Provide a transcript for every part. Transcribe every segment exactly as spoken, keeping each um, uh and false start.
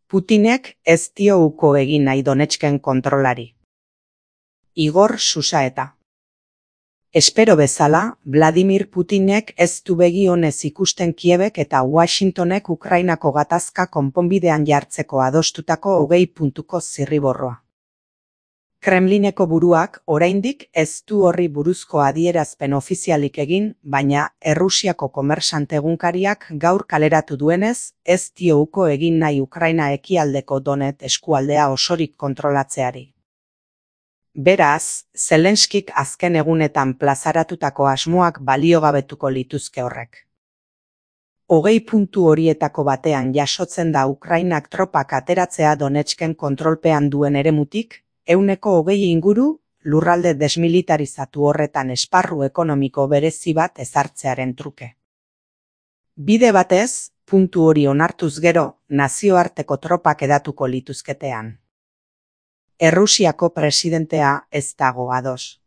Putinek ez dio uko egin nahi Donetsken kontrolari. Igor Susaeta. Espero bezala, Vladimir Putinek ez du begi onez ikusten Kiebek eta Washingtonek Ukrainako gatazka konponbidean jartzeko adostutako hogei puntuko zirriborroa. Kremlineko buruak oraindik ez du horri buruzko adierazpen ofizialik egin, baina Errusiako komersante egunkariak gaur kaleratu duenez, ez dio uko egin nahi Ukraina ekialdeko Donet eskualdea osorik kontrolatzeari. Beraz, Zelenskik azken egunetan plazaratutako asmoak baliogabetuko lituzke horrek. Hogei puntu horietako batean jasotzen da Ukrainak tropak ateratzea Donetsken kontrolpean duen eremutik, ehuneko hogei inguru lurralde desmilitarizatu horretan esparru ekonomiko berezi bat ezartzearen truke. Bide batez, puntu hori onartuz gero, nazioarteko tropak edatuko lituzketean. Errusiako presidentea ez dago ados.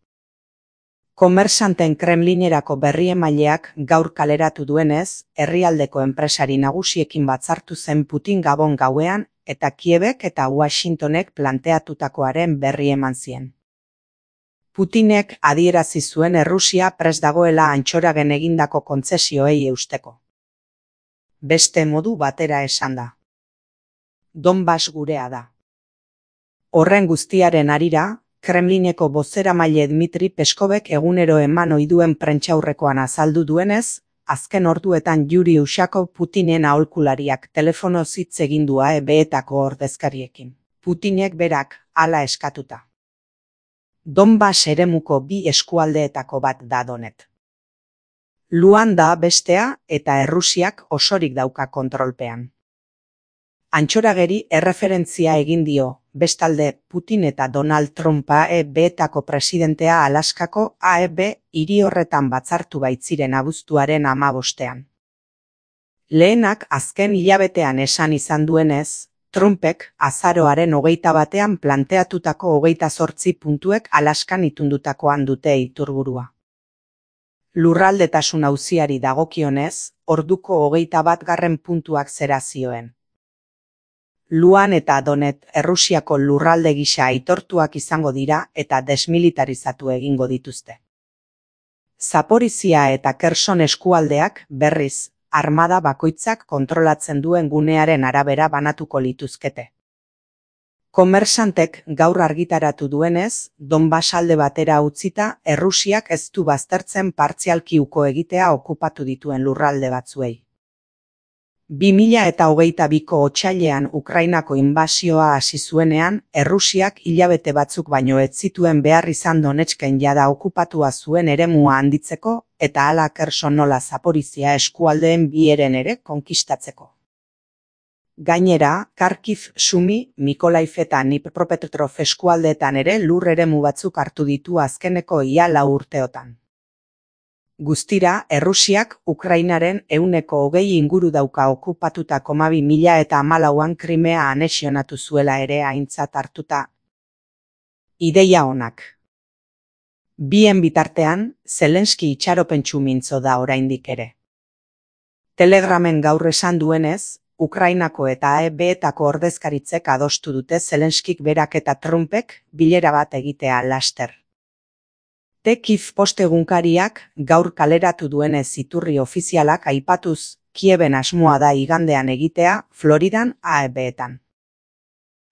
Komersanten Kremlinerako berriemaileak gaur kaleratu duenez, herrialdeko enpresari nagusiekin batzartu zen Putin Gabon gauean eta Kiebek eta Washingtonek planteatutakoaren berri eman zien. Putinek adierazi zuen Errusia prest dagoela Antxoragen egindako kontzesioei eusteko. Beste modu batera esan da. Donbas gurea da. Horren guztiaren harira, Kremlineko bozeramaile Dmitri Peskovek egunero eman ohi duen prentsaurrekoan azaldu duenez, azken orduetan Yuri Ushakov Putinen aholkulariak telefonoz hitz egin du A E B-etako ordezkariekin. Putinek berak hala eskatuta. Donbas eremuko bi eskualdeetako bat da Donet. Luanda bestea eta Errusiak osorik dauka kontrolpean. Antxorageri erreferentzia egin dio, bestalde Putin eta Donald Trump A E B-etako presidentea Alaskako A E B hiri horretan batzartu baitziren abuztuaren hamabostean. Lehenak azken hilabetean esan izan duenez, Trumpek azaroaren hogeita batean planteatutako hogeita zortzi puntuek Alaskan itundutakoan dute iturburua. Lurraldetasun auziari dagokionez, orduko hogeita bat garren puntuak zera zioen. Luan eta Donet Errusiako lurralde gisa aitortuak izango dira eta desmilitarizatu egingo dituzte. Zaporizia eta Kherson eskualdeak, berriz, armada bakoitzak kontrolatzen duen gunearen arabera banatuko lituzkete. Komersantek gaur argitaratu duenez, Donbas alde batera utzita, Errusiak ez du baztertzen partzialki uko egitea okupatu dituen lurralde batzuei. bi mila eta hogeita biko otsailean Ukrainako inbasioa hasi zuenean, Errusiak hilabete batzuk baino ez zituen behar izan Donetsken jada okupatua zuen eremua handitzeko eta hala Kherson nola Zaporizia eskualdeen bi heren ere konkistatzeko. Gainera, Kharkiv, Sumi, Mykolaiv eta Dnipropetrovsk eskualdeetan ere lur eremu batzuk hartu ditu azkeneko ia lau urteotan. Guztira, Errusiak Ukrainaren ehuneko hogei inguru dauka okupatutako hamabi mila eta hamalauan Krimea anexionatu zuela ere aintzat hartuta. Ideia onak. Bien bitartean, Zelenski itxaropentsu mintzo da oraindik ere. Telegramen gaur esan duenez, Ukrainako eta A E B-etako ordezkaritzek adostu dute Zelenskik berak eta Trumpek bilera bat egitea laster. Tekiv postegunkariak gaur kaleratu duenez iturri ofizialak aipatuz, Kieben asmoa da igandean egitea Floridan A E B-etan.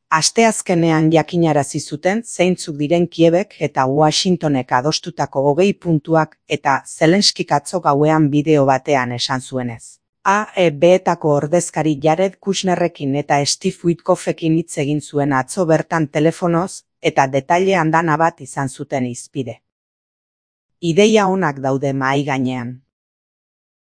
Asteazkenean jakinarazi zuten zeintzuk diren Kiebek eta Washingtonek adostutako hogei puntuak eta Zelenskik atzo gauean bideo batean esan zuenez. A E B-etako ordezkari Jared Kushnerrekin eta Steve Witkoffekin hitz egin zuen atzo bertan telefonoz eta detaile andana bat izan zuten hizpide. Ideia onak daude mahai gainean.